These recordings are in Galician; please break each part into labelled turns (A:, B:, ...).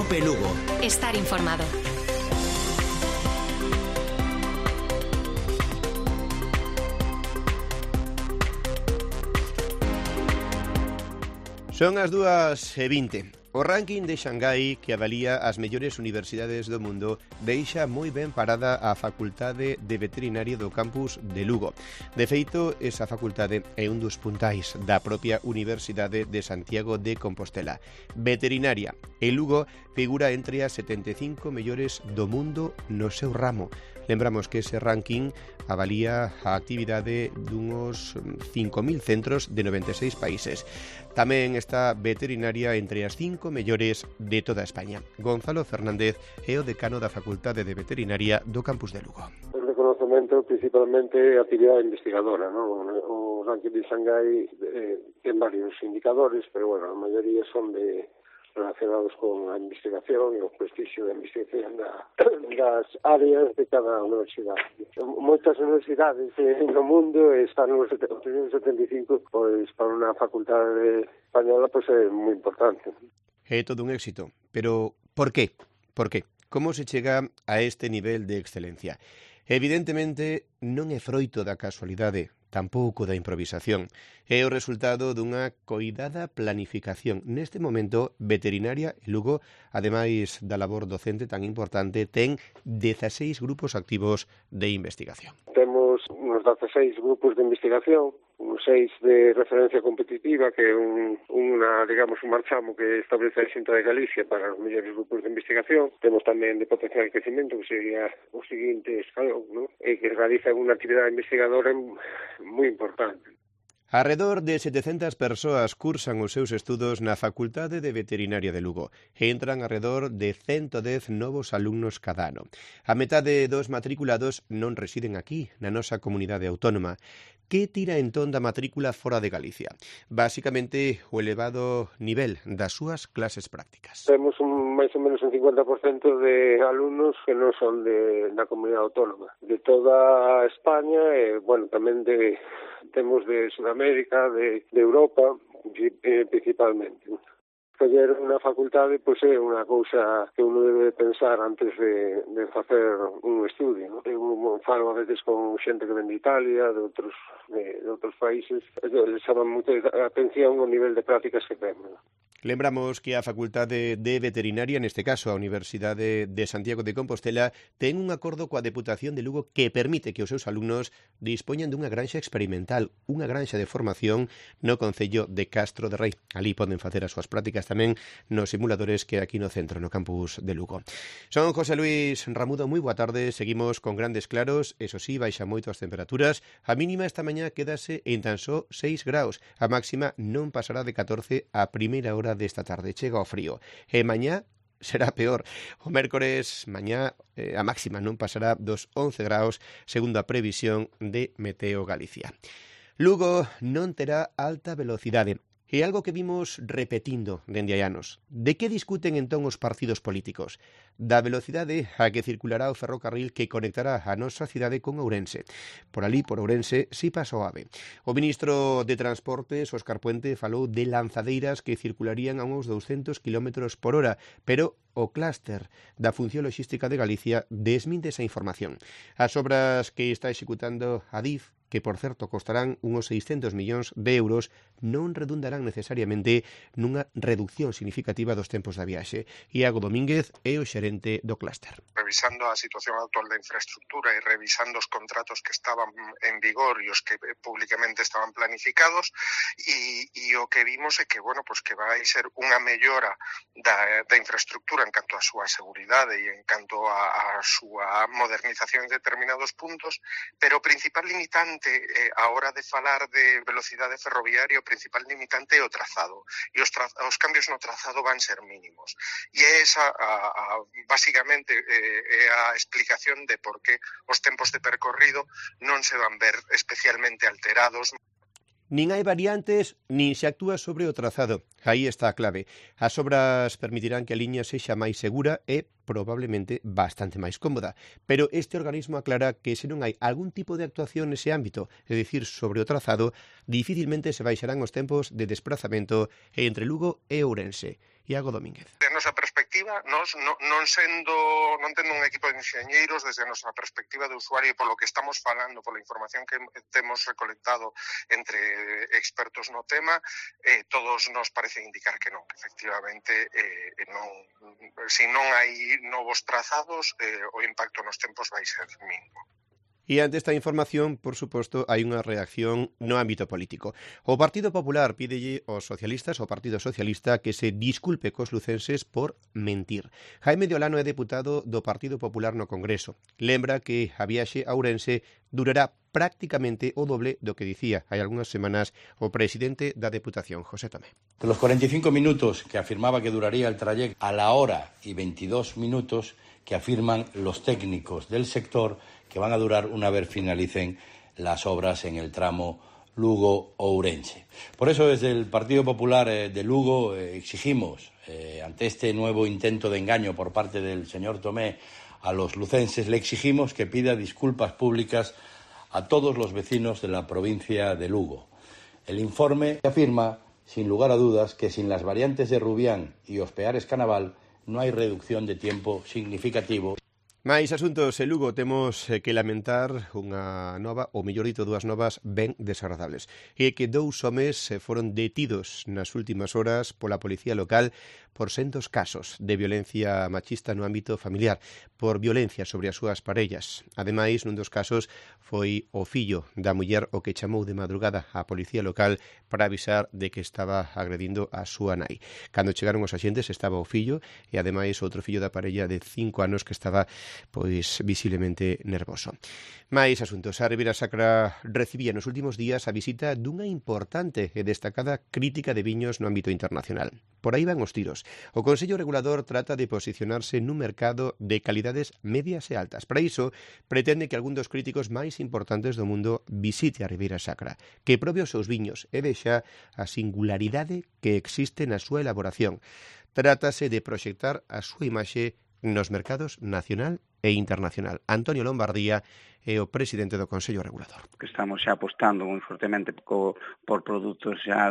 A: Cope Lugo.
B: Estar informado.
C: Son as 2:20. O ranking de Xangai, que avalía as mellores universidades do mundo, deixa moi ben parada a Facultade de Veterinaria do campus de Lugo. De feito, esa facultade é un dos puntais da propia Universidade de Santiago de Compostela. Veterinaria e Lugo figura entre as 75 mellores do mundo no seu ramo. Lembramos que ese ranking avalía a actividade dunhos 5.000 centros de 96 países. Tamén está Veterinaria entre as 5 mellores de toda España. Gonzalo Fernández é o decano da Facultade de Veterinaria do campus de Lugo.
D: O reconocemento principalmente a actividade investigadora, ¿no? O ranking de Xangai ten varios indicadores, pero bueno, a maioría son relacionados con a investigación e o prestigio da investigación das áreas de cada universidade. Moitas universidades no mundo están nos 75, pois para unha facultade española pois é moi importante.
C: É todo un éxito, pero por qué? Por qué? Como se chega a este nivel de excelencia? Evidentemente non é froito da casualidade, tampouco da improvisación. É o resultado dunha coidada planificación. Neste momento, Veterinaria e Lugo, ademais da labor docente tan importante, ten 16 grupos activos de investigación.
D: Temos uns 16 grupos de investigación, uns 6 de referencia competitiva, que é un marchamo que establece a Xunta de Galicia para os mellores grupos de investigación. Temos tamén de potencial crecimento, que sería o seguinte escalón, ¿no? E que realiza unha actividade investigadora moi importante.
C: Arredor de 700 persoas cursan os seus estudos na Facultade de Veterinaria de Lugo e entran arredor de 110 novos alumnos cada ano. A metade dos matriculados non residen aquí, na nosa comunidade autónoma. Que tira entón da matrícula fora de Galicia? Básicamente, o elevado nivel das súas clases prácticas.
D: Temos máis ou menos un 50% de alumnos que non son da comunidade autónoma, de toda España e, bueno, tamén temos de Sudamérica, de Europa, principalmente. Escoller unha facultade pois é unha cousa que uno debe pensar antes de facer un estudio, ¿no? Eu falo a veces con xente que ven de Italia, de outros países, les chaman moito a atención o nivel de prácticas que temos, ¿no?
C: Lembramos que a Facultade de Veterinaria, neste caso a Universidade de Santiago de Compostela, ten un acordo coa Deputación de Lugo que permite que os seus alumnos dispoñan dunha granxa experimental, unha granxa de formación no concello de Castro de Rei. Ali poden facer as súas prácticas tamén nos simuladores que aquí no centro, no campus de Lugo. Son José Luis Ramudo, moi boa tarde. Seguimos con grandes claros, eso sí, baixa moito as temperaturas. A mínima esta mañá quedase en tan só 6 graus. A máxima non pasará de 14 a primeira hora desta tarde. Chega o frío. E mañá será peor. O mércores, mañá, a máxima non pasará dos 11 graus, segundo a previsión de Meteo Galicia. Lugo non terá alta velocidade. É algo que vimos repetindo dende hai anos. De que discuten entón os partidos políticos? Da velocidade a que circulará o ferrocarril que conectará a nosa cidade con Ourense. Por ali, por Ourense, si pasa o AVE. O ministro de Transportes, Óscar Puente, falou de lanzadeiras que circularían a uns 200 km por hora, pero o clúster da Función Logística de Galicia desminte esa información. As obras que está executando a DIF, que, por certo, costarán uns 600 millóns de euros, non redundarán necesariamente nunha reducción significativa dos tempos da viaxe. Iago Domínguez é o xerente do clúster.
E: Revisando a situación actual da infraestructura e revisando os contratos que estaban en vigor e os que públicamente estaban planificados, e o que vimos é que, bueno, pues que vai ser unha mellora da infraestructura en canto a súa seguridade e en canto a súa modernización en determinados puntos, pero o principal limitante a hora de falar de velocidade ferroviaria, o principal limitante é o trazado, e os cambios no trazado van ser mínimos. E esa, basicamente, é a explicación de por que os tempos de percorrido non se van ver especialmente alterados.
C: Nin hai variantes, nin se actúa sobre o trazado. Aí está a clave. As obras permitirán que a liña sexa máis segura e probablemente bastante máis cómoda. Pero este organismo aclara que se non hai algún tipo de actuación nese ámbito, é dicir, sobre o trazado, dificilmente se baixarán os tempos de desplazamento entre Lugo e Ourense. Iago Domínguez.
E: De nosa perspectiva, perspectiva, non tendo un equipo de enxeñeiros, desde a nosa perspectiva de usuario e polo que estamos falando, pola información que temos recolectado entre expertos no tema, todos nos parece indicar que non, que efectivamente se non hai novos trazados, o impacto nos tempos vai ser mínimo.
C: E ante esta información, por suposto, hai unha reacción no ámbito político. O Partido Popular pídelle aos socialistas, ao Partido Socialista, que se disculpe cos lucenses por mentir. Jaime de Olano é deputado do Partido Popular no Congreso. Lembra que a viaxe a Ourense durará prácticamente o doble do que dicía hai algunhas semanas o presidente da Deputación, José Tomé.
A: De los 45 minutos que afirmaba que duraría el trayecto a la hora y 22 minutos que afirman los técnicos del sector que van a durar una vez finalicen las obras en el tramo Lugo-Ourense. Por eso, desde el Partido Popular de Lugo exigimos, ante este nuevo intento de engaño por parte del señor Tomé a los lucenses, le exigimos que pida disculpas públicas a todos los vecinos de la provincia de Lugo. El informe afirma, sin lugar a dudas, que sin las variantes de Rubián y Ospeares-Canaval no hai reducción de tiempo significativo.
C: Mais asuntos en Lugo temos que lamentar unha nova, ou mellor dito, dúas novas ben desagradables. E que dous homes foron detidos nas últimas horas pola policía local por sendos casos de violencia machista no ámbito familiar, por violencia sobre as súas parellas. Ademais, nun dos casos foi o fillo da muller o que chamou de madrugada á policía local para avisar de que estaba agredindo a súa nai. Cando chegaron os axentes estaba o fillo e ademais outro fillo da parella de 5 anos que estaba pois visiblemente nervoso. Mais asuntos. A Ribeira Sacra recibía nos últimos días a visita dunha importante e destacada crítica de viños no ámbito internacional. Por aí van os tiros. O Consello Regulador trata de posicionarse nun mercado de calidades medias e altas. Para iso, pretende que algún dos críticos máis importantes do mundo visite a Ribeira Sacra, que probe os seus viños e vexa a singularidade que existe na súa elaboración. Trátase de proxectar a súa imaxe nos mercados nacional e internacional. Antonio Lombardía é o presidente do Consello Regulador.
B: Que estamos xa apostando moi fortemente por produtos xa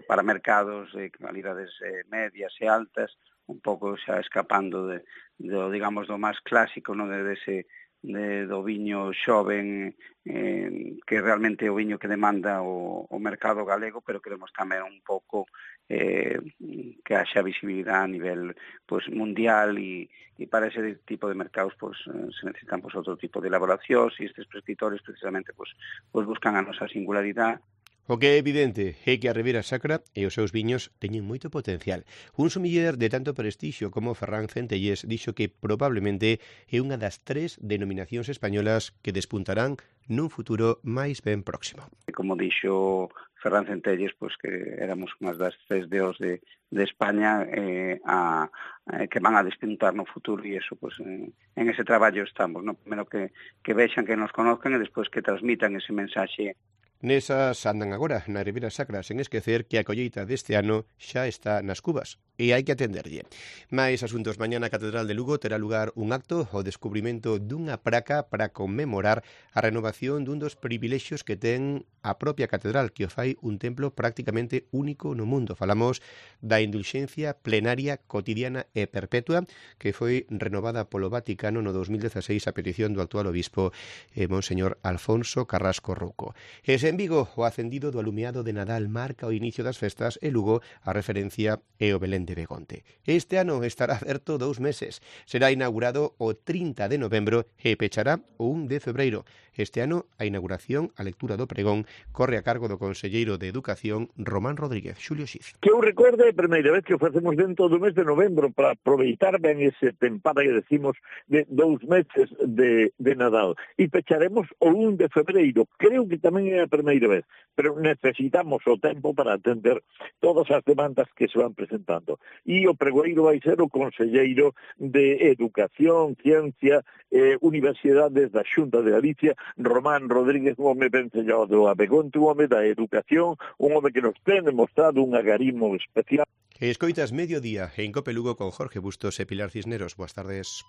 B: para mercados de calidades medias e altas, un pouco xa escapando digamos, do máis clásico, non do viño xoven, que realmente é o viño que demanda o mercado galego, pero queremos tamén un pouco que haxa visibilidade a nivel mundial e para ese tipo de mercados se necesitan outro tipo de elaboracións e estes prescriptores precisamente buscan a nosa singularidade.
C: O que é evidente é que a Ribeira Sacra e os seus viños teñen moito potencial. Un sommelier de tanto prestixio como Ferran Centelles dixo que probablemente é unha das 3 denominacións españolas que despuntarán nun futuro máis ben próximo.
B: Como dixo Ferran Centelles, que éramos unhas das 3 DOs de España que van a despuntar no futuro e eso, en ese traballo estamos, no? Primero que vexan, que nos conozcan e despois que transmitan ese mensaxe.
C: Nesas andan agora na Ribeira Sacra, sen esquecer que a colleita deste ano xa está nas cubas e hai que atenderlle. Mais asuntos. Mañá na Catedral de Lugo terá lugar un acto ao descubrimento dunha praca para conmemorar a renovación dun dos privilexios que ten a propia catedral, que o fai un templo prácticamente único no mundo. Falamos da indulxencia plenaria cotidiana e perpetua que foi renovada polo Vaticano no 2016 a petición do actual obispo Monseñor Alfonso Carrasco Rouco. E en Vigo, o acendido do alumeado de Nadal marca o inicio das festas e Lugo a referencia é o Belén de Begonte. Este ano estará aberto 2 meses. Será inaugurado o 30 de novembro e pechará o 1 de febreiro. Este ano a inauguración, a lectura do pregón, corre a cargo do conselleiro de Educación Román Rodríguez. Xulio Xiz.
F: Que eu recorde a primeira vez que o facemos dentro do mes de novembro para aproveitar ben ese tempada que decimos de 2 meses de Nadal. E pecharemos o 1 de febreiro. Creo que tamén é a primeira vez, pero necesitamos o tempo para atender todas as demandas que se van presentando. E o pregoeiro vai ser o conselleiro de Educación, Ciencia e Universidades da Xunta de Galicia, Román Rodríguez, un home vencellado a Begonte, un home da Educación, un home que nos ten demostrado un agarimo especial.
C: Escoitas Mediodía en Cope Lugo con Jorge Bustos e Pilar Cisneros. Boas tardes.